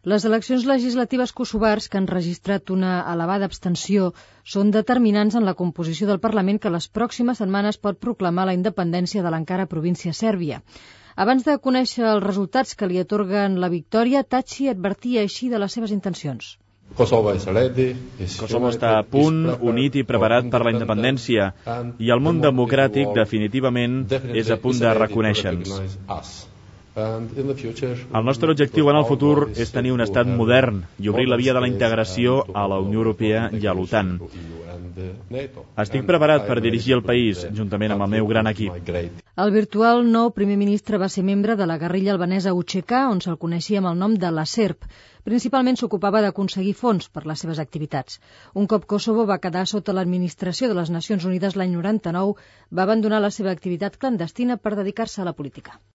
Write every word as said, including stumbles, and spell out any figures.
Les eleccions legislatives kosovars, que han registrat una elevada abstenció, són determinants en la composició del Parlament que les pròximes setmanes pot proclamar la independència de l'encara província sèrbia. Abans de conèixer els resultats que li atorguen la victòria, Thaçi advertia així de les seves intencions. Kosovo està a punt, unit i preparat per la independència, i el món democràtic definitivament és a punt de reconèixer-nos. El nostre objectiu en el futur és tenir un estat modern i obrir la via de la integració a la Unió Europea i a l'OTAN. Estic preparat per dirigir el país, juntament amb el meu gran equip. El virtual nou primer ministre va ser membre de la guerrilla albanesa U C K, on se'l coneixia amb el nom de la SERP. Principalment s'ocupava d'aconseguir fons per les seves activitats. Un cop Kosovo va quedar sota l'administració de les Nacions Unides l'any noranta-nou, va abandonar la seva activitat clandestina per dedicar-se a la política.